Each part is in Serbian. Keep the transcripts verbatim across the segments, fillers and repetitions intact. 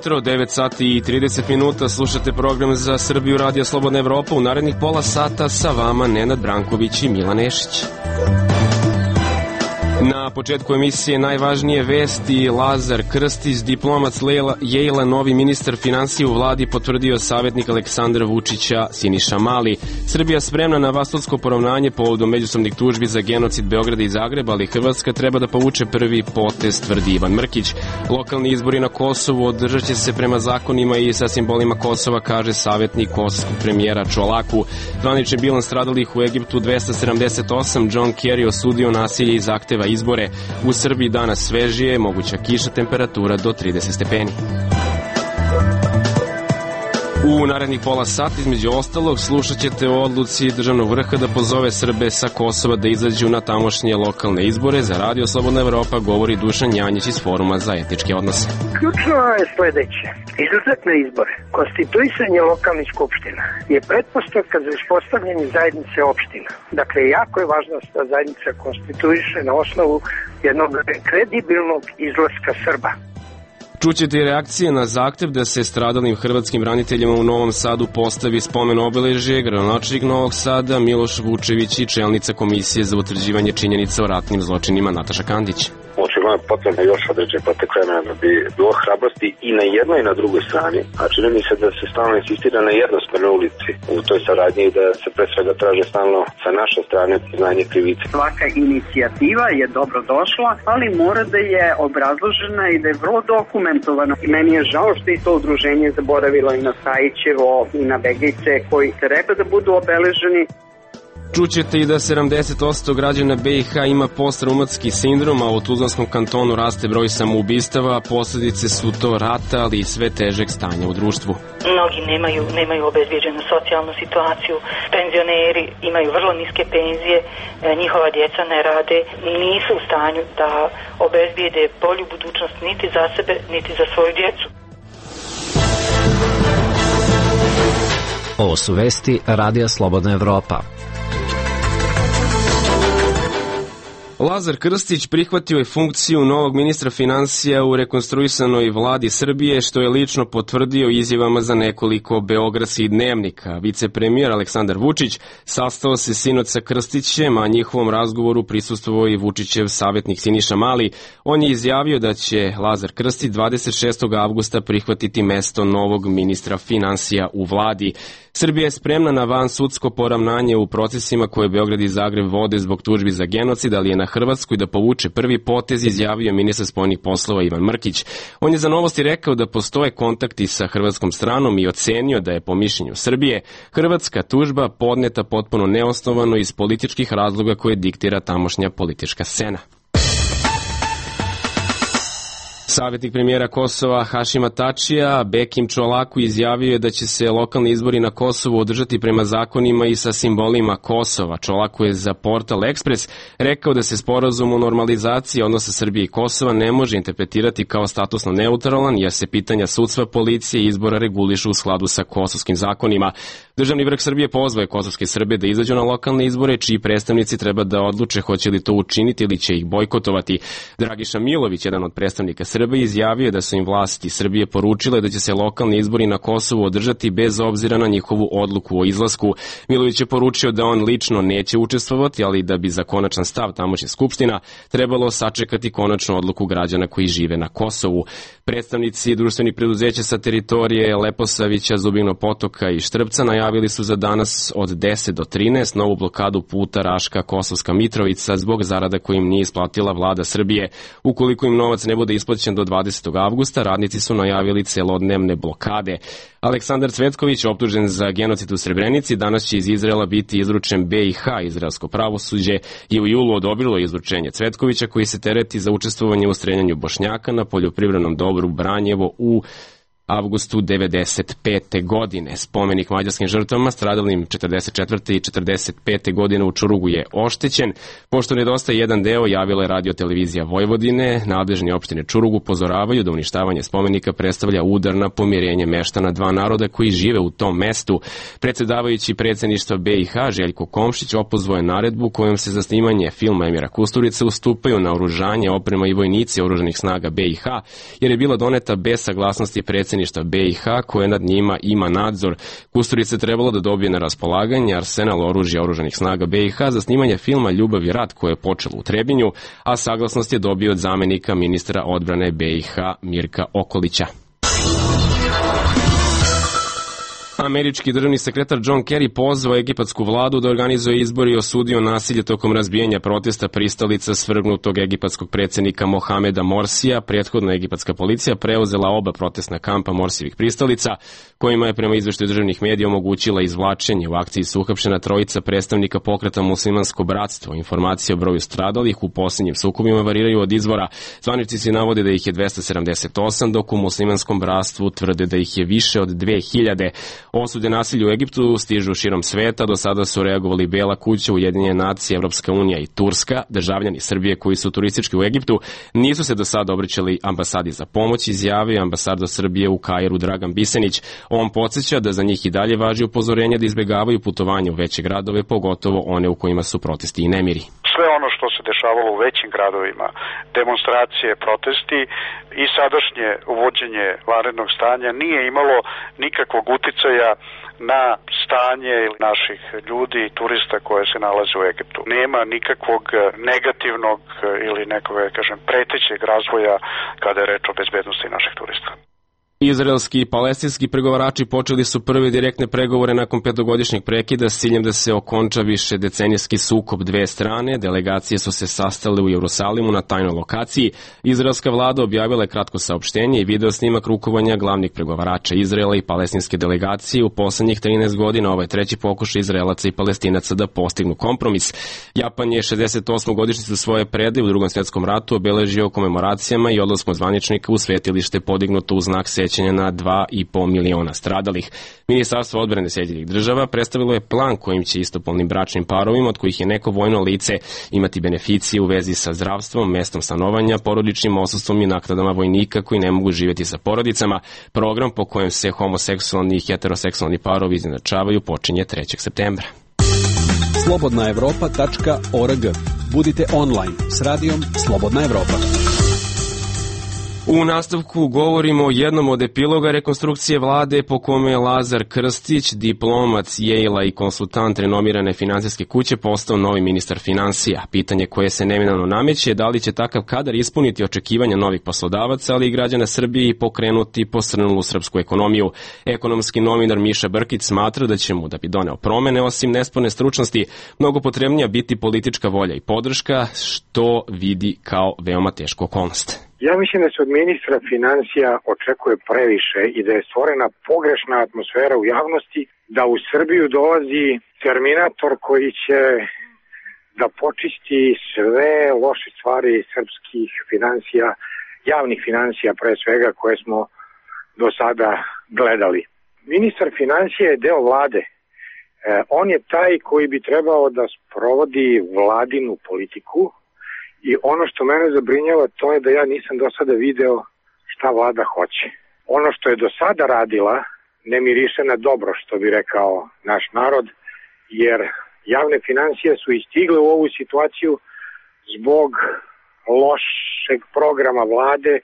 jutro, devet sati i trideset minuta, slušate program za Srbiju Radio Slobodna Evropa. U narednih pola sata sa vama Nenad Branković i Milan Nešić. Na početku emisije najvažnije vesti. Lazar Krstić, diplomac Yale-a, novi ministar finansija u vladi, potvrdio savjetnik Aleksandra Vučića Siniša Mali. Srbija spremna na vasludsko poravnanje povodom međusobnih tužbi za genocid Beograda i Zagreba, ali Hrvatska treba da povuče prvi potez, tvrdi Ivan Mrkić. Lokalni izbori na Kosovu održat će se prema zakonima i sa simbolima Kosova, kaže savjetnik kosovskog premijera Čolaku. Zvanični bilans stradalih u Egiptu dvesta sedamdeset osam. John Kerry osudio nasilje i zahteva izbore. U Srbiji danas svežije, moguća kiša, temperatura do trideset stepeni. U narednih pola sata, između ostalog, slušat ćete o odluci državnog vrha da pozove Srbe sa Kosova da izađu na tamošnje lokalne izbore. Za Radio Slobodna Evropa govori Dušan Janjić iz Foruma za etičke odnose. Ključno je sledeće. Izlazak na izbore, konstituisanje lokalnih skupština je pretpostavka za uspostavljanje zajednice opština. Dakle, jako je važno da zajednica konstituiše na osnovu jednog kredibilnog izlaska Srba. Čućete i reakcije na zahtev da se stradalim hrvatskim braniteljima u Novom Sadu postavi spomen obeležje. Gradonačelnik Novog Sada Miloš Vučević i čelnica Komisije za utvrđivanje činjenica o ratnim zločinima Nataša Kandić. Očigledno je potrebno još određen potek vremena da bi bilo hrabrosti i na jednoj i na drugoj strani, a čini mi se da se stalno insistira na jednosmernoj ulici u toj saradnji i da se pre svega traže stalno sa naše strane priznanje krivice. Svaka inicijativa je dobro došla, ali mora da je obrazložena i da je vrlo dokumentovana. I meni je žao što je to udruženje zaboravilo i na Sajićevo i na Begejce koji treba da budu obeleženi. Čućete i da sedamdeset posto građana B i H ima postraumatski sindrom, a u Tuzlanskom kantonu raste broj samoubistava, posljedice su to rata, ali i sve težeg stanja u društvu. Mnogi nemaju, nemaju obezbijeđenu socijalnu situaciju, penzioneri imaju vrlo niske penzije, njihova djeca ne rade, nisu u stanju da obezbijede bolju budućnost niti za sebe, niti za svoju djecu. Ovo su vesti Radija Slobodna Evropa. Lazar Krstić prihvatio je funkciju novog ministra finansija u rekonstruisanoj vladi Srbije, što je lično potvrdio izjavama za nekoliko beogradskih dnevnika. Vicepremijer Aleksandar Vučić sastao se sinoć sa Krstićem, a njihovom razgovoru prisustvovao i Vučićev savjetnik Siniša Mali. On je izjavio da će Lazar Krstić dvadeset šestog avgusta prihvatiti mesto novog ministra finansija u vladi. Srbija je spremna na vansudsko poravnanje u procesima koje Beograd i Zagreb vode zbog tužbi za genocid, ali je na Hrvatskoj da povuče prvi potez, izjavio ministar spoljnih poslova Ivan Mrkić. On je za Novosti rekao da postoje kontakti sa hrvatskom stranom i ocenio da je po mišljenju Srbije hrvatska tužba podneta potpuno neosnovano iz političkih razloga koje diktira tamošnja politička scena. Savjetnik premijera Kosova Hašima Tačija Bekim Čolaku izjavio je da će se lokalni izbori na Kosovu održati prema zakonima i sa simbolima Kosova. Čolaku je za portal Ekspres rekao da se sporazum o normalizaciji odnosa Srbije i Kosova ne može interpretirati kao statusno neutralan, jer se pitanja sudstva, policije i izbora regulišu u skladu sa kosovskim zakonima. Državni vrh Srbije pozvao je kosovske Srbe da izađu na lokalne izbore, čiji predstavnici treba da odluče hoće li to učiniti ili će ih bojkotovati. Dragiša Milović, jedan od predstavnika Srbije, izjavio da su im vlasti Srbije poručile da će se lokalni izbori na Kosovu održati bez obzira na njihovu odluku o izlasku. Milović je poručio da on lično neće učestvovati, ali da bi za konačan stav tamošnje skupština trebalo sačekati konačnu odluku građana koji žive na Kosovu. Predstavnici društvenih preduzeća sa teritorije Leposavića, Zubinog Potoka i Štrpca najavili su za danas od deset do trinaest novu blokadu puta Raška Kosovska Mitrovica zbog zarada koje im nije isplatila vlada Srbije. Ukoliko im novac ne bude isplaćen do dvadesetog avgusta, radnici su najavili celodnevne blokade. Aleksandar Cvetković, optužen za genocid u Srebrenici, danas će iz Izraela biti izručen B i H. Izraelsko pravosuđe je u julu odobrilo izručenje Cvetkovića, koji se tereti za učestvovanje u streljanju Bošnjaka na poljoprivrednom dobru Branjevo u avgustu devedeset pete. godine. Spomenik mađarskim žrtvama stradalim četrdeset četvrte i četrdeset pete. godine u Čurugu je oštećen. Pošto nedostaje jedan deo, javila je Radio televizija Vojvodine. Nadležni opštine Čurugu upozoravaju da uništavanje spomenika predstavlja udar na pomirenje meštana dva naroda koji žive u tom mestu. Predsedavajući predsedništva be i ha Željko Komšić opozvao je naredbu kojom se za snimanje filma Emira Kusturice ustupaju naoružanje, oprema i vojnici oružanih snaga be i ha, jer je bila doneta bez saglasnosti predsedništva be i ha koje nad njima ima nadzor. Kusturica je trebalo da dobije na raspolaganje arsenal oružja oružanih snaga be i ha za snimanje filma Ljubav i rat koje je počelo u Trebinju, a saglasnost je dobio od zamenika ministra odbrane be i ha Mirka Okolića. Američki državni sekretar John Kerry pozvao egipatsku vladu da organizuje izbore i osudio nasilje tokom razbijanja protesta pristalica svrgnutog egipatskog predsjednika Mohameda Morsija. Prethodna egipatska policija preuzela oba protestna kampa Morsijevih pristalica, kojima je prema izveštaju državnih medija omogućila izvlačenje. U akciji su uhapšena trojica predstavnika pokreta Muslimansko bratstvo. Informacije o broju stradalih u posljednjim sukobima variraju od izvora. Zvaničnici navode da ih je dvesta sedamdeset osam, dok u Muslimanskom bratstvu tvrde da ih je više od dve hiljade. Osude nasilja u Egiptu stižu širom sveta, do sada su reagovali Bela kuća, Ujedinjene nacije, Evropska unija i Turska. Državljani Srbije koji su turistički u Egiptu nisu se do sada obraćali ambasadi za pomoć, izjavio ambasador Srbije u Kairu Dragan Bisenić. On podsjeća da za njih i dalje važi upozorenje da izbegavaju putovanje u veće gradove, pogotovo one u kojima su protesti i nemiri. Sve ono što se dešavalo u većim gradovima, demonstracije, protesti i sadašnje uvođenje vanrednog stanja nije imalo nikakvog uticaja na stanje naših ljudi i turista koje se nalaze u Egiptu. Nema nikakvog negativnog ili nekog, kažem, pretećeg razvoja kada je reč o bezbednosti naših turista. Izraelski i palestinski pregovarači počeli su prve direktne pregovore nakon petogodišnjeg prekida s ciljem da se okonča više decenijski sukob dve strane. Delegacije su se sastale u Jerusalimu na tajnoj lokaciji. Izraelska vlada objavila je kratko saopštenje i video snimak rukovanja glavnih pregovarača Izraela i palestinske delegacije. U poslednjih trinaest godina ovaj treći pokušaj Izraelaca i Palestinaca da postignu kompromis. Japan je šezdeset osmu godišnjicu svoje predaje u Drugom svjetskom ratu obeležio komemoracijama i odlaskom zvaničnika u svetilište podignuto u znak sećanja na dva i po miliona stradalih. Ministarstvo odbrane Sjedinjenih država predstavilo je plan kojim će istopolnim bračnim parovima, od kojih je neko vojno lice, imati beneficije u vezi sa zdravstvom, mestom stanovanja, porodičnim odsustvom i naknadama vojnika koji ne mogu živjeti sa porodicama. Program po kojem se homoseksualni i heteroseksualni parovi izjednačavaju počinje trećeg septembra. slobodna evropa tačka org. Budite online s radijom Slobodna Evropa. U nastavku govorimo o jednom od epiloga rekonstrukcije vlade po kome je Lazar Krstić, diplomac Yale-a i konsultant renomirane finansijske kuće, postao novi ministar finansija. Pitanje koje se neminovno nameće je da li će takav kadar ispuniti očekivanja novih poslodavaca, ali i građana Srbije i pokrenuti posrnulu srpsku ekonomiju. Ekonomski novinar Miša Brkić smatra da će mu, da bi doneo promene, osim nesporne stručnosti, mnogo potrebnija biti politička volja i podrška, što vidi kao veoma tešku okolnost. Ja mislim da se od ministra finansija očekuje previše i da je stvorena pogrešna atmosfera u javnosti, da u Srbiju dolazi terminator koji će da počisti sve loše stvari srpskih finansija, javnih finansija pre svega koje smo do sada gledali. Ministar finansija je deo vlade. E, on je taj koji bi trebao da sprovodi vladinu politiku. I ono što mene zabrinjava to je da ja nisam do sada video šta vlada hoće. Ono što je do sada radila ne miriše na dobro, što bi rekao naš narod, jer javne finansije su istigle u ovu situaciju zbog lošeg programa vlade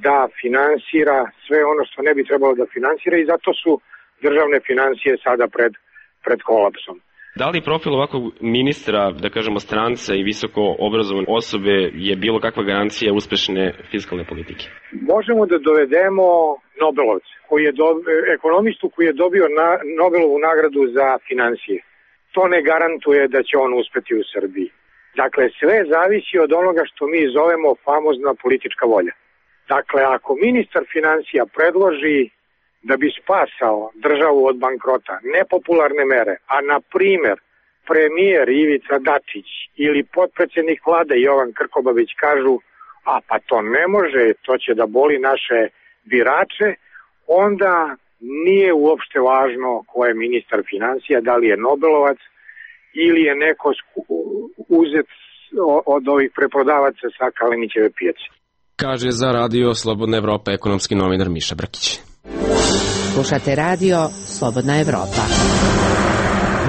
da finansira sve ono što ne bi trebalo da finansira i zato su državne finansije sada pred, pred kolapsom. Da li profil ovakvog ministra, da kažemo stranca i visoko obrazovane osobe je bilo kakva garancija uspešne fiskalne politike? Možemo da dovedemo Nobelovca, koji je do, ekonomistu koji je dobio na, Nobelovu nagradu za finansije. To ne garantuje da će on uspeti u Srbiji. Dakle, sve zavisi od onoga što mi zovemo famozna politička volja. Dakle, ako ministar finansija predloži da bi spasao državu od bankrota nepopularne mere, a na primer premijer Ivica Dačić ili potpredsjednik vlade Jovan Krkobabić kažu, a pa to ne može, to će da boli naše birače, onda nije uopšte važno ko je ministar financija, da li je Nobelovac ili je neko uzet od ovih preprodavaca sa Kalinićeve pijace. Kaže za Radio Slobodna Evropa ekonomski novinar Miša Brkić. Slušate Radio Slobodna Evropa.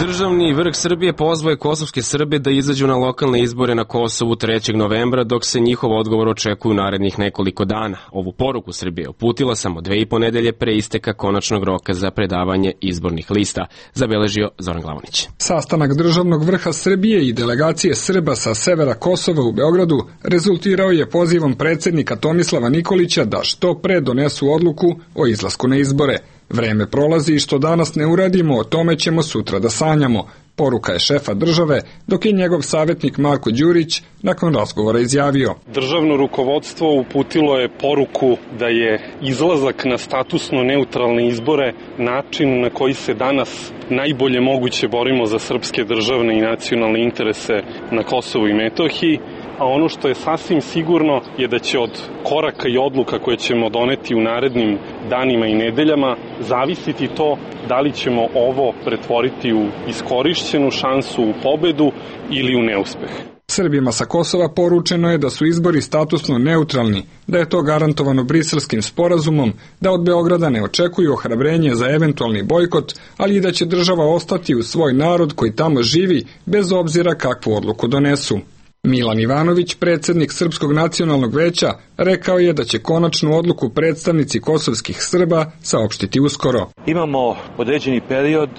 Državni vrh Srbije pozvao je kosovske Srbe da izađu na lokalne izbore na Kosovu trećeg novembra, dok se njihov odgovor očekuje u narednih nekoliko dana. Ovu poruku Srbije uputila samo dve i po nedelje pre isteka konačnog roka za predavanje izbornih lista, zabeležio Zoran Glavonić. Sastanak državnog vrha Srbije i delegacije Srba sa severa Kosova u Beogradu rezultirao je pozivom predsednika Tomislava Nikolića da što pre donesu odluku o izlasku na izbore. Vreme prolazi i što danas ne uradimo, o tome ćemo sutra da sanjamo, poruka je šefa države, dok je njegov savjetnik Marko Đurić nakon razgovora izjavio. Državno rukovodstvo uputilo je poruku da je izlazak na statusno neutralne izbore način na koji se danas najbolje moguće borimo za srpske državne i nacionalne interese na Kosovu i Metohiji, a ono što je sasvim sigurno je da će od koraka i odluka koje ćemo doneti u narednim danima i nedeljama zavisiti to da li ćemo ovo pretvoriti u iskorišćenu šansu u pobedu ili u neuspeh. Srbima sa Kosova poručeno je da su izbori statusno neutralni, da je to garantovano Briselskim sporazumom, da od Beograda ne očekuju ohrabrenje za eventualni bojkot, ali i da će država ostati uz svoj narod koji tamo živi bez obzira kakvu odluku donesu. Milan Ivanović, predsednik Srpskog nacionalnog veća, rekao je da će konačnu odluku predstavnici kosovskih Srba saopštiti uskoro. Imamo određeni period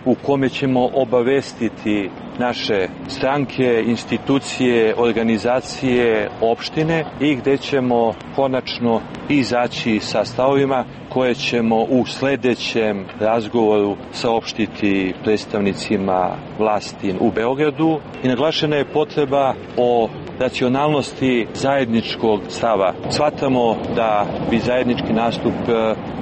u kome ćemo obavestiti naše stranke, institucije, organizacije, opštine i gde ćemo konačno izaći sa stavovima koje ćemo u sledećem razgovoru saopštiti predstavnicima vlasti u Beogradu. I naglašena je potreba o racionalnosti zajedničkog stava. Shvatamo da bi zajednički nastup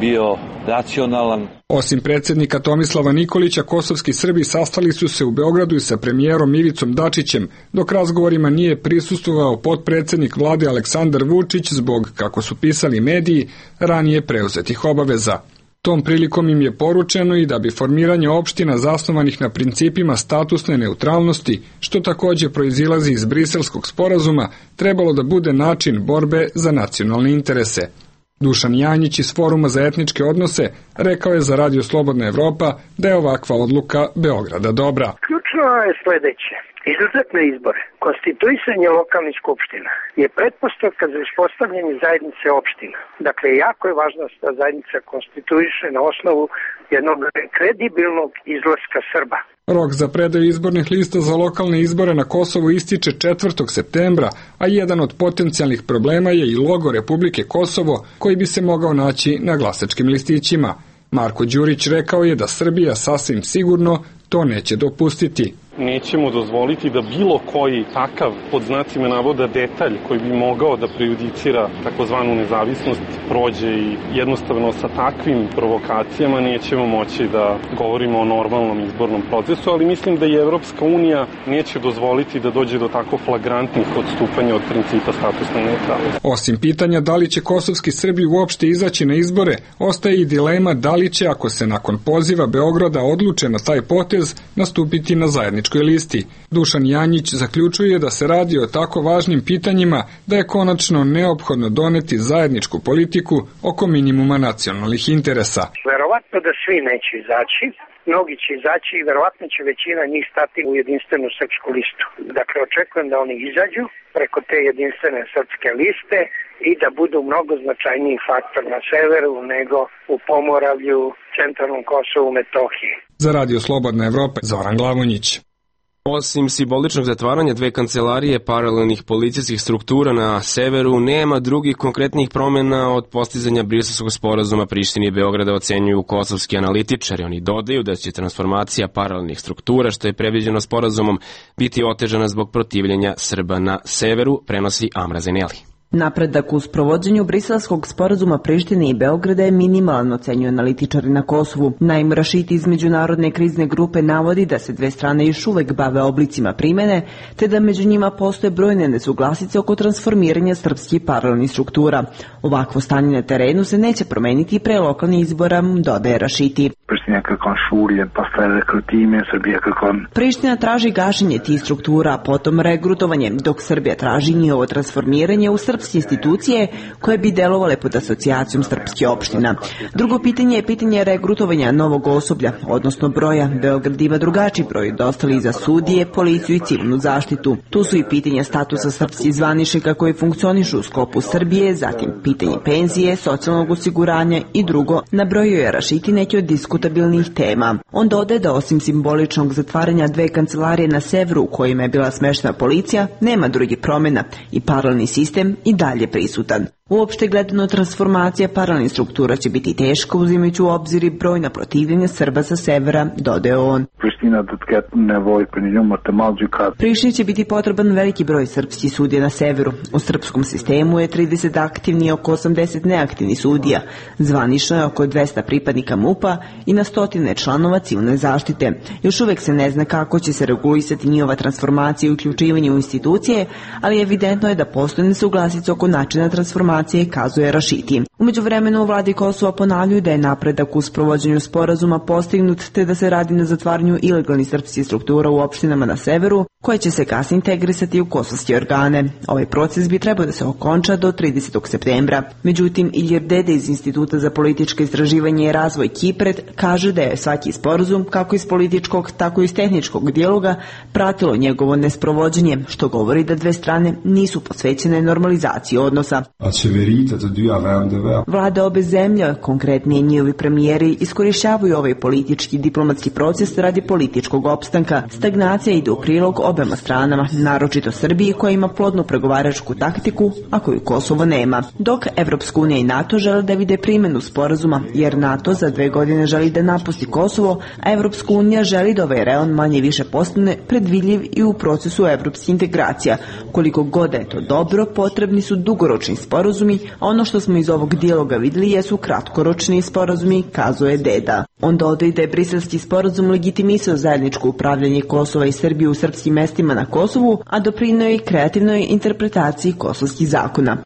bio racionalan. Osim predsednika Tomislava Nikolića, kosovski Srbi sastali su se u Beogradu i sa premijerom Ivicom Dačićem, dok razgovorima nije prisustvovao potpredsednik vlade Aleksandar Vučić zbog, kako su pisali mediji, ranije preuzetih obaveza. Tom prilikom im je poručeno i da bi formiranje opština zasnovanih na principima statusne neutralnosti, što takođe proizilazi iz Briselskog sporazuma, trebalo da bude način borbe za nacionalne interese. Dušan Janjić iz Foruma za etničke odnose rekao je za Radio Slobodna Evropa da je ovakva odluka Beograda dobra. Ključno je sledeće. Izlazak na izbore, konstituisanje lokalnih skupština je pretpostavka za uspostavljanje zajednice opština. Dakle, jako je važno da ta zajednica konstituiše na osnovu jednog kredibilnog izlaska Srba. Rok za predaju izbornih lista za lokalne izbore na Kosovu ističe četvrtog septembra, a jedan od potencijalnih problema je i logo Republike Kosovo koji bi se mogao naći na glasačkim listićima. Marko Đurić rekao je da Srbija sasvim sigurno to neće dopustiti. Nećemo dozvoliti da bilo koji takav, pod znacima navoda, detalj koji bi mogao da prejudicira takozvanu nezavisnost prođe i jednostavno sa takvim provokacijama nećemo moći da govorimo o normalnom izbornom procesu, ali mislim da i Evropska unija neće dozvoliti da dođe do tako flagrantnih odstupanja od principa statusne neutralnosti. Osim pitanja da li će kosovski Srbi uopšte izaći na izbore, ostaje i dilema da li će, ako se nakon poziva Beograda odluče na taj potez, nastupiti na zajedničkoj listi. Dušan Janjić zaključuje da se radi o tako važnim pitanjima da je konačno neophodno doneti zajedničku politiku oko minimuma nacionalnih interesa. Verovatno da svi neće izaći, mnogi će izaći i verovatno će većina njih stati u jedinstvenu srpsku listu. Dakle, očekujem da oni izađu preko te jedinstvene srpske liste i da budu mnogo značajniji faktor na severu nego u Pomoravlju, centralnom Kosovu, Metohiji. Za Radio Slobodna Evropa, Zoran Glavonjić. Osim simboličnog zatvaranja dve kancelarije paralelnih policijskih struktura na severu, nema drugih konkretnih promjena od postizanja Briselskog sporazuma. Prištini i Beograda ocenjuju kosovski analitičari. Oni dodaju da će transformacija paralelnih struktura, što je predviđeno sporazumom, biti otežana zbog protivljenja Srba na severu, prenosi Amra Zeneli. Napredak u sprovođenju briselskog sporazuma Prištine i Beograda je minimalan, ocenjuju analitičari na Kosovu. Naime, Rašiti iz međunarodne krizne grupe navodi da se dve strane još uvek bave oblicima primene, te da među njima postoje brojne nesuglasice oko transformiranja srpskih paralelnih struktura. Ovakvo stanje na terenu se neće promeniti pre lokalnih izbora, dodaje Rašiti. Priština traži gašenje tih struktura, a potom regrutovanje, dok Srbija traži njihovo transformiranje u srpske institucije koje bi delovale pod asocijacijom srpskih opština. Drugo pitanje je pitanje regrutovanja novog osoblja, odnosno broja. Beograd ima drugačiji broj dostali za sudije, policiju i civilnu zaštitu. Tu su i pitanja statusa srpskih zvaničnika koji funkcionišu u sklopu Srbije, zatim pitanje penzije, socijalnog osiguranja i drugo, nabrojio je Rašiti neki od diskutabilnih tema. On dodaje da osim simboličnog zatvaranja dve kancelarije na severu u kojima je bila smeštena policija, nema drugih promjena i paralelni sistem i dalje prisutan. Uopšte gledano, transformacija paralelnih struktura će biti teška uzimajući u obzir i brojna protivljenja Srba sa severa, dodaje on. Prištini će biti potreban veliki broj srpskih sudija na severu. U srpskom sistemu je trideset aktivni i oko osamdeset neaktivnih sudija. Zvanično je oko dvesta pripadnika MUP-a i na stotine članova civilne zaštite. Još uvek se ne zna kako će se regulisati njihova transformacija i uključivanje u institucije, ali evidentno je da postoje nesuglasice oko načina transformacije, kazuje Rašiti. U međuvremenu u vladi Kosova ponavljaju da je napredak u sprovođenju sporazuma postignut, te da se radi na zatvaranju ilegalnih srpskih struktura u opštinama na severu, koje će se kasnije integrisati u kosovske organe. Ovaj proces bi trebao da se okonča do tridesetog septembra. Međutim, Ilir Dede iz Instituta za političke istraživanje i razvoj Kipred kaže da je svaki sporazum, kako iz političkog, tako i iz tehničkog dijaloga, pratilo njegovo nesprovođenje, što govori da dve strane nisu posvećene normalizaciji odnosa. Vlade obe zemlje, konkretnije njihovi premijeri, iskorišćavaju ovaj politički diplomatski proces radi političkog opstanka. Stagnacija ide u prilog obema stranama, naročito Srbiji koja ima plodnu pregovaračku taktiku, a koju Kosovo nema. Dok Evropska unija i NATO žele da vide primjenu sporazuma, jer NATO za dve godine želi da napusti Kosovo, a Evropska unija želi da ovaj reon manje više postane predvidljiv i u procesu evropskih integracija. Koliko god je to dobro, potrebni su dugoročni sporazumi, a ono što smo iz ovog dijaloga vidjeli jesu kratkoročni sporazumi, kazuje Deda. On dodaje da je briselski sporazum legitimisao zajedničko upravljanje Kosova i Srbije u srpskim mestima na Kosovu, a doprineo je kreativnoj interpretaciji kosovskih zakona.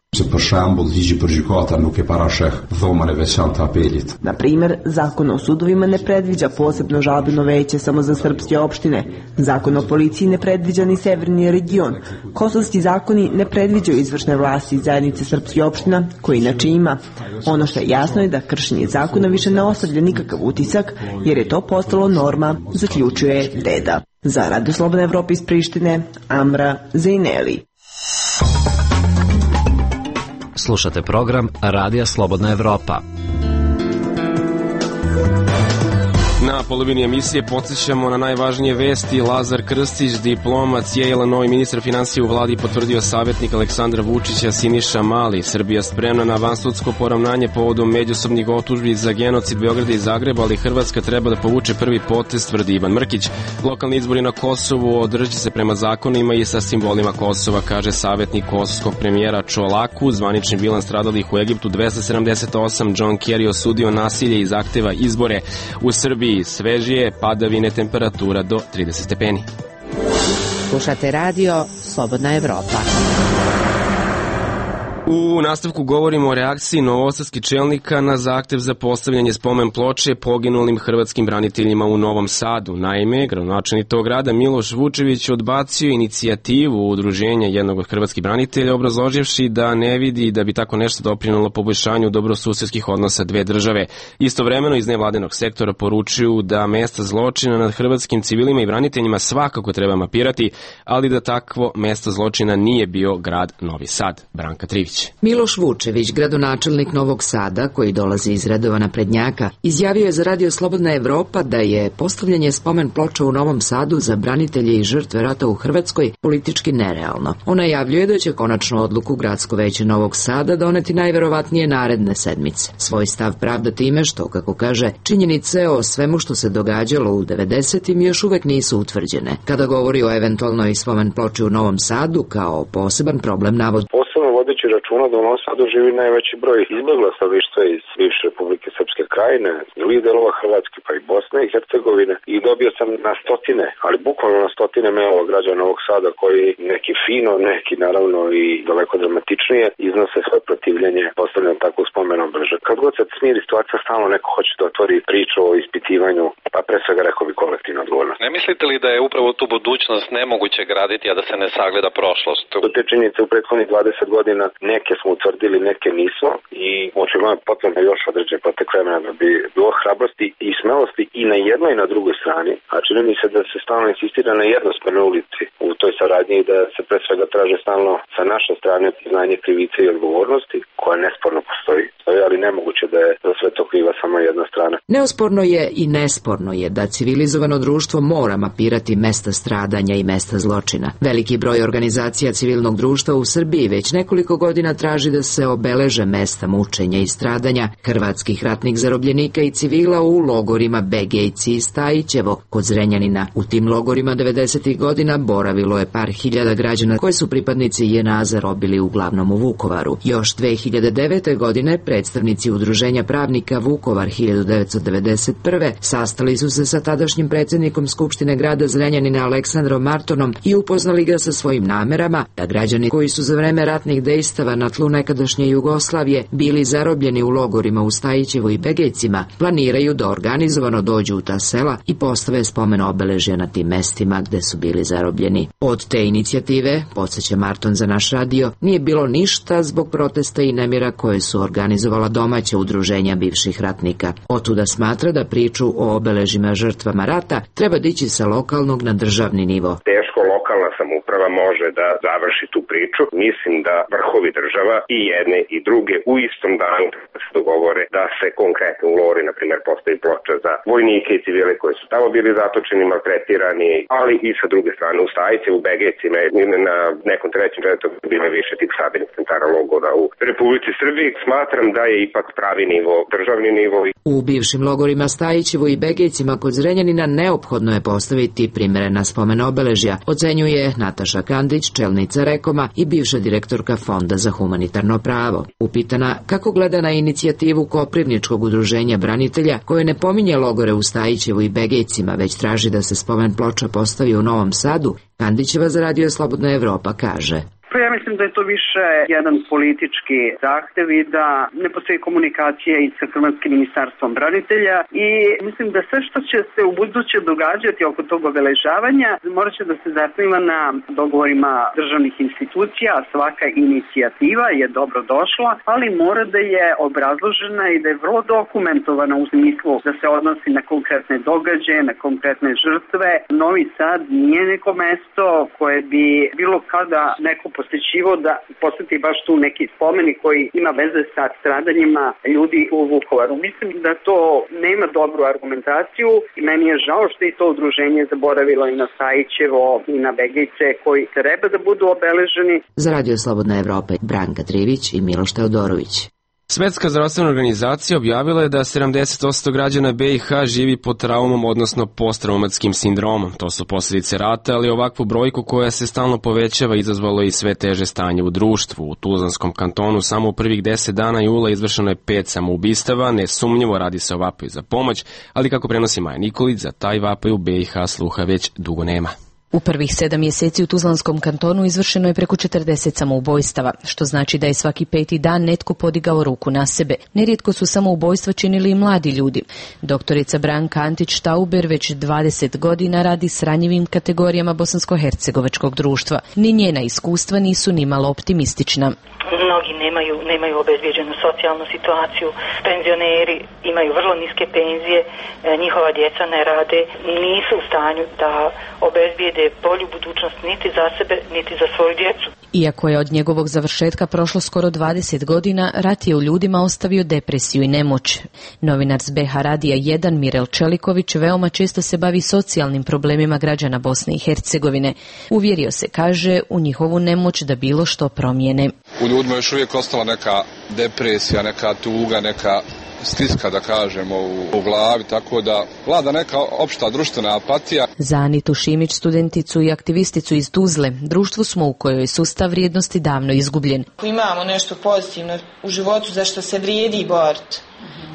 Na primjer, zakon o sudovima ne predviđa posebno žalbeno veće samo za srpske opštine. Zakon o policiji ne predviđa ni severni region. Kosovski zakoni ne predviđaju izvršne vlasti zajednice srpskih opština, koji inače ima. Ono što je jasno je da kršenje zakona više ne ostavlja nikakav utisak, jer je to postalo norma, zaključuje Deda. Za Radio Slobodne Evrope iz Prištine, Amra Zejneli. Slušate program Radija Slobodna Evropa. Na polovini emisije podsjećamo na najvažnije vesti. Lazar Krstić, diplomac Yale, novi ministar finansija u vladi, potvrdio savjetnik Aleksandra Vučića Siniša Mali. Srbija spremna na vansudsko poravnanje povodom međusobnih optužbi za genocid Beograda i Zagreba, ali Hrvatska treba da povuče prvi potez, tvrdi Ivan Mrkić. Lokalni izbori na Kosovu održat će se prema zakonima i sa simbolima Kosova, kaže savjetnik kosovskog premijera Čolaku. Zvanični bilans stradalih u Egiptu dvesta sedamdeset osam. John Kerry osudio nasilje i zahteva izbore. U Srbiji svežije, padavine, temperatura do trideset stepeni. Slušate radio Slobodna Evropa. U nastavku govorimo o reakciji novosadskih čelnika na zahtev za postavljanje spomen ploče poginulim hrvatskim braniteljima u Novom Sadu. Naime, gradonačelnik tog grada Miloš Vučević odbacio inicijativu udruženja jednog od hrvatskih branitelja, obrazloživši da ne vidi da bi tako nešto doprinelo poboljšanju dobrosusedskih odnosa dve države. Istovremeno iz nevladinog sektora poručuju da mesta zločina nad hrvatskim civilima i braniteljima svakako treba mapirati, ali da takvo mesto zločina nije bio grad Novi Sad. Branka Trivić. Miloš Vučević, gradonačelnik Novog Sada, koji dolazi iz redova naprednjaka, izjavio je za Radio Slobodna Evropa da je postavljanje spomen ploča u Novom Sadu za branitelje i žrtve rata u Hrvatskoj politički nerealno. On najavljuje da će konačnu odluku Gradsko veće Novog Sada doneti najverovatnije naredne sedmice. Svoj stav pravda time što, kako kaže, činjenice o svemu što se događalo u devedesetim još uvek nisu utvrđene. Kada govori o eventualnoj spomen ploči u Novom Sadu kao poseban problem navod. Posebno vodeći računa da u Novom Sadu živi najveći broj izbjegla stanovništva iz bivše Republike Srpske Krajine, drugih delova Hrvatske, pa i Bosne i Hercegovine, i dobio sam na stotine, ali bukvalno na stotine mailova građana Novog Sada koji neki fino, neki naravno i daleko dramatičnije iznose svoje protivljenje postavljanju takvog spomen obeležja. Kad god se smiri situacija, stalno neko hoće da otvori priču o ispitivanju, pa pre svega rekao bi kolektivna odgovornost. Ne mislite li da je upravo tu budućnost nemoguće graditi, a da se ne sagleda prošlost? Do te činjenice u prethodnih dvadeset godina neke smo utvrdili, neke nismo, i očigledno je potrebno još određen protek vremena da bi bilo hrabrosti i smelosti i na jednoj i na drugoj strani, a čini mi se da se stalno insistira na jednosmernoj ulici u toj saradnji i da se pre svega traže stalno sa naše strane priznanje krivice i odgovornosti, koja nesporno postoji, ali nemoguće da je za sve to kriva samo jedna strana. Neosporno je i nesporno je da civilizovano društvo mora mapirati mesta stradanja i mesta zločina. Veliki broj organizacija civilnog društva u Srbiji već nekoliko godina traži da se obeleže mesta mučenja i stradanja hrvatskih ratnih zarobljenika i civila u logorima Begejci i Stajićevo kod Zrenjanina. U tim logorima devedesetih godina boravilo je par hiljada građana koji su pripadnici J N A zarobili uglavnom u Vukovaru. Još dve hiljade devete. godine predstavnici Udruženja pravnika Vukovar hiljadu devetsto devedeset prve. sastali su se sa tadašnjim predsjednikom Skupštine grada Zrenjanina Aleksandrom Martonom i upoznali ga sa svojim namerama da građani koji su za vreme ratnih dejstava na tlu nekadašnje Jugoslavije bili zarobljeni u logorima u Stajićevu i Begejcima planiraju da organizovano dođu u ta sela i postave spomen obeležja na tim mestima gde su bili zarobljeni. Od te inicijative, podsjeća Marton za naš radio, nije bilo ništa zbog protesta i nemira koje su organizovala domaća udruženja bivših ratnika. Otuda smatra da priču o obeležima žrtvama rata treba dići sa lokalnog na državni nivo. Teško lokalna samouprava može da završi tu priču. Mislim da vrhovi država i jedne i druge u istom danu se dogovore da se konkretno u Lori, na primjer, postavi ploča za vojnike i civile koji su tamo bili zatočeni, maltretirani, ali i sa druge strane u Stajiće, u Begejcima, na nekom trećem redu bile više tih sabirnih centara logora u Republici Srbiji. Smatram da je ipak pravi nivo, državni nivo. U bivšim logorima Stajićevu i Begejcima kod Zrenjanina neophodno je postaviti primerena spomen obeležja, ocenjuje Nataša Kandić, čelnica Rekoma i bivša direktorka Fonda za humanitarno pravo. Upitana kako gleda na inicijativu Koprivničkog udruženja branitelja koje ne pominje logore u Stajićevu i Begejcima, već traži da se spomen ploča postavi u Novom Sadu, Kandićeva za Radio Slobodna Evropa kaže: Pa ja mislim da je to više jedan politički zahtev i da ne postoji komunikacija i sa Hrvatskim ministarstvom branitelja i mislim da sve što će se u buduće događati oko tog obeležavanja morat će da se zasniva na dogovorima državnih institucija, a svaka inicijativa je dobro došla, ali mora da je obrazložena i da je vrlo dokumentovana u smislu da se odnosi na konkretne događaje, na konkretne žrtve. Novi Sad nije neko mesto koje bi bilo kada neko posjećivo da posjeti baš tu neki spomenik koji ima veze sa stradanjima ljudi u Vukovaru. Mislim da to nema dobru argumentaciju i meni je žao što je to udruženje zaboravilo i na Stajićevo i na Begejce koji treba da budu obeleženi. Za Radio Slobodna Evropa, Branka Trivić i Miloš Teodorović. Svetska zdravstvena organizacija objavila je da sedamdeset posto građana B i H živi pod traumom, odnosno posttraumatskim sindromom. To su posljedice rata, ali ovakvu brojku koja se stalno povećava izazvalo i sve teže stanje u društvu. U Tuzlanskom kantonu samo u prvih deset dana jula izvršeno je pet samoubistava, nesumnjivo radi se o vapaju za pomoć, ali kako prenosi Maja Nikolić, za taj vapaj u B i H sluha već dugo nema. U prvih sedam mjeseci u Tuzlanskom kantonu izvršeno je preko četrdeset samoubojstava, što znači da je svaki peti dan netko podigao ruku na sebe. Nerijetko su samoubojstva činili i mladi ljudi. Doktorica Branka Antić-Tauber već dvadeset godina radi s ranjivim kategorijama bosansko-hercegovačkog društva. Ni njena iskustva nisu nimalo optimistična. Mnogi nemaju, nemaju obezbijeđenu socijalnu situaciju, penzioneri imaju vrlo niske penzije, njihova djeca ne rade, nisu u stanju da obezbijede bolju budućnost niti za sebe, niti za svoju djecu. Iako je od njegovog završetka prošlo skoro dvadeset godina, rat je u ljudima ostavio depresiju i nemoć. Novinar s B H Radija jedan Mirel Čeliković veoma često se bavi socijalnim problemima građana Bosne i Hercegovine. Uvjerio se, kaže, u njihovu nemoć da bilo što promijene. U ljudima još uvijek ostala neka depresija, neka tuga, neka stiska, da kažemo, u, u glavi, tako da vlada neka opšta društvena apatija. Za Anitu Šimić, studenticu i aktivisticu iz Tuzle, društvo smo u kojoj je sustav vrijednosti davno izgubljen. Imamo nešto pozitivno u životu za što se vrijedi boriti.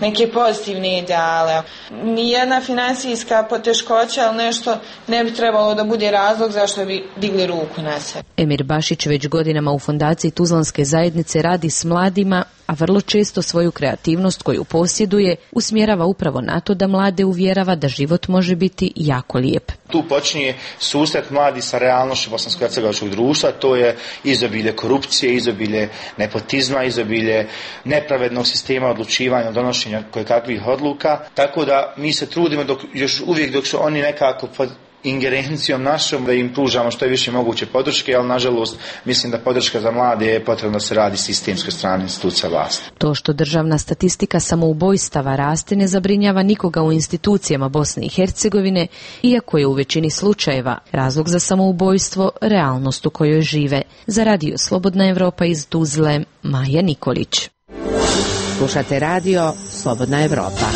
Neke pozitivne ideale. Nijedna finansijska poteškoća, ali nešto ne bi trebalo da bude razlog zašto bi digli ruku na sebe. Emir Bašić već godinama u fondaciji Tuzlanske zajednice radi s mladima, a vrlo često svoju kreativnost koju posjeduje usmjerava upravo na to da mlade uvjerava da život može biti jako lijep. Tu počinje susret mladi sa realnošću bosansko-hercegovačkog društva, to je izobilje korupcije, izobilje nepotizma, izobilje nepravednog sistema odlučivanja, donošenja kojekakvih odluka, tako da mi se trudimo dok, još uvijek dok su oni nekako pod ingerencijom našom da im pružamo što je više moguće podrške, ali nažalost mislim da podrška za mlade je potrebno da se radi sistemskoj strani institucija vlasti. To što državna statistika samoubojstava raste ne zabrinjava nikoga u institucijama Bosne i Hercegovine, iako je u većini slučajeva razlog za samoubojstvo realnost u kojoj žive. Za Radio Slobodna Evropa iz Tuzle, Maja Nikolić. Slušate radio Slobodna Evropa.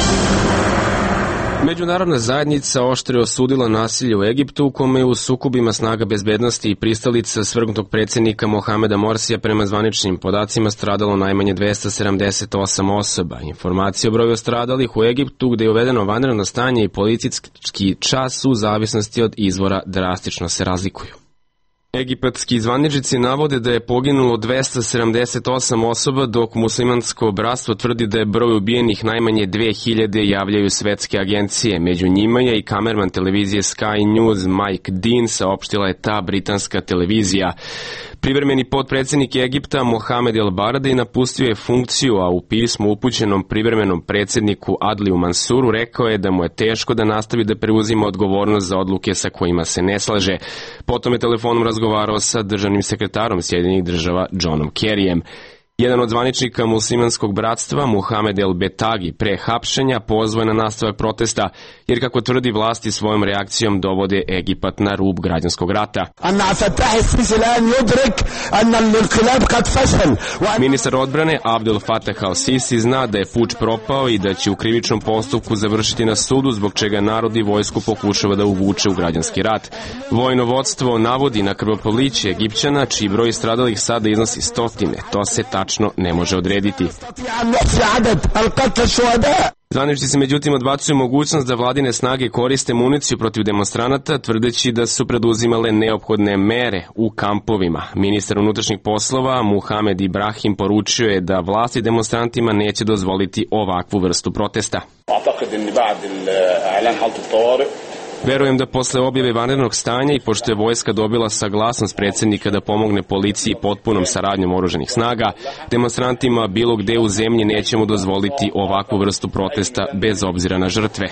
Međunarodna zajednica oštro je osudila nasilje u Egiptu u kome je u sukobima snaga bezbednosti i pristalica svrgnutog predsjednika Mohameda Morsija prema zvaničnim podacima stradalo najmanje dvesta sedamdeset osam osoba. Informacije o broju stradalih u Egiptu gdje je uvedeno vanredno stanje i policijski čas u zavisnosti od izvora drastično se razlikuju. Egipatski zvaničnici navode da je poginulo dvesta sedamdeset osam osoba, dok muslimansko bratstvo tvrdi da je broj ubijenih najmanje dve hiljade, javljaju svetske agencije. Među njima je i kamerman televizije Sky News Mike Dean, saopštila je ta britanska televizija. Privremeni potpredsjednik Egipta Mohamed El Baradei napustio je funkciju, a u pismu upućenom privremenom predsjedniku Adliju Mansuru rekao je da mu je teško da nastavi da preuzima odgovornost za odluke sa kojima se ne slaže. Potom je telefonom razgovarao sa državnim sekretarom Sjedinjenih država Johnom Kerryjem. Jedan od zvaničnika muslimanskog bratstva, Muhamed El Betagi, pre hapšenja pozvao je na nastavak protesta, jer kako tvrdi vlasti svojom reakcijom dovode Egipat na rub građanskog rata. Ministar odbrane Abdel Fattah al-Sisi zna da je puč propao i da će u krivičnom postupku završiti na sudu, zbog čega narod i vojsku pokušava da uvuče u građanski rat. Vojno vodstvo navodi na krvoproliće Egipćana, čiji broj stradalih sada iznosi stotine. To se tačno ne može odrediti. Zvaničnici se međutim odbacuju mogućnost da vladine snage koriste municiju protiv demonstranata, tvrdeći da su preduzimale neophodne mere u kampovima. Ministar unutrašnjih poslova Muhamed Ibrahim poručio je da vlasti demonstrantima neće dozvoliti ovakvu vrstu protesta. Verujem da posle objave vanrednog stanja i pošto je vojska dobila saglasnost predsjednika da pomogne policiji potpunom saradnjom oružanih snaga, demonstrantima bilo gde u zemlji nećemo dozvoliti ovakvu vrstu protesta bez obzira na žrtve.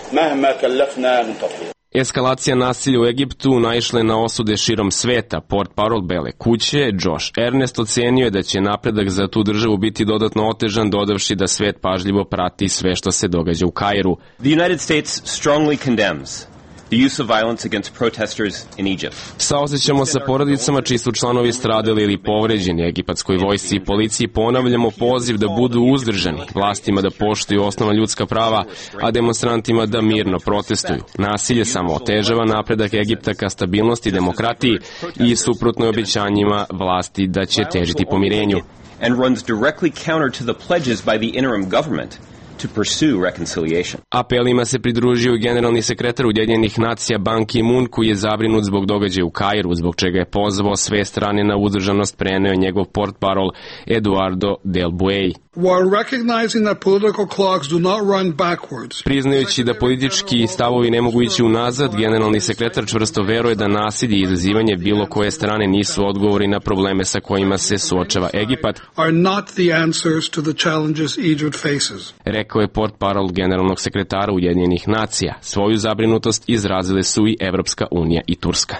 Eskalacija nasilja u Egiptu naišla je na osude širom sveta. Portparol Bele kuće, Josh Ernest, ocenio je da će napredak za tu državu biti dodatno otežan, dodavši da svet pažljivo prati sve što se događa u Kairu. The United States strongly condemns the use of violence against protesters in Egypt. Saosećamo sa porodicama čiji su članovi stradali ili povređeni. Egipatskoj vojsci i policiji ponavljamo poziv da budu uzdržani, vlastima da poštuju osnovna ljudska prava, a demonstrantima da mirno protestuju. Nasilje samo otežava napredak Egipta ka stabilnosti i demokratiji i suprotno obećanjima vlasti da će težiti pomirenju. And runs directly counter to the pledges by the interim government to pursue reconciliation. Apelima se pridružio generalni sekretar Ujedinjenih nacija Ban Ki-moon, koji je zabrinut zbog događaja u Kairu, zbog čega je pozvao sve strane na uzdržanost, preneo njegov portparol Eduardo Del Buey. While recognizing that political clocks do not run backwards. Priznajući da politički stavovi ne mogu ići unazad, generalni sekretar čvrsto veruje da nasilje i izazivanje bilo koje strane nisu odgovori na probleme sa kojima se suočava Egipat. Are not the answers to the challenges Egypt faces. Rekao je portparol generalnog sekretara Ujedinjenih nacija. Svoju zabrinutost izrazile su i Evropska unija i Turska.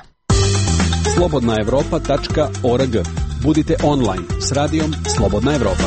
slobodna evropa tačka org. Budite online s radijom Slobodna Evropa.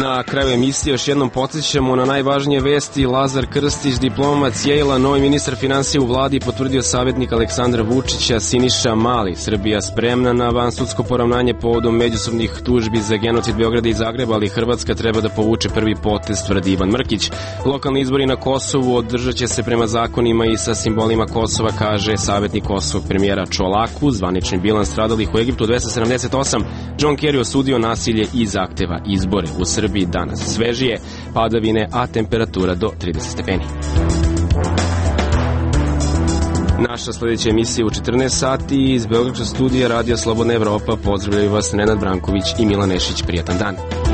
Na kraju emisije još jednom podsjećamo na najvažnije vesti. Lazar Krstić, diplomat Yale-a, novi ministar finansija u vladi, potvrdio savjetnik Aleksandra Vučića Siniša Mali. Srbija spremna na vansudsko poravnanje povodom međusobnih tužbi za genocid Beograda i Zagreba, ali Hrvatska treba da povuče prvi potez, tvrdi Ivan Mrkić. Lokalni izbori na Kosovu održat će se prema zakonima i sa simbolima Kosova, kaže savjetnik kosovog premijera Čolaku. Zvanični bilans stradalih u Egiptu dvesta sedamdeset osam. John Kerry osudio nasilje i zahteva izbore. U Srbiji danas svežije, padavine, a temperatura do trideset stepeni. Naša sljedeća emisija u četrnaest sati iz Beogradskog studija Radio Slobodna Evropa. Pozdravljaju vas Nenad Branković i Milan Nešić. Prijatan dan.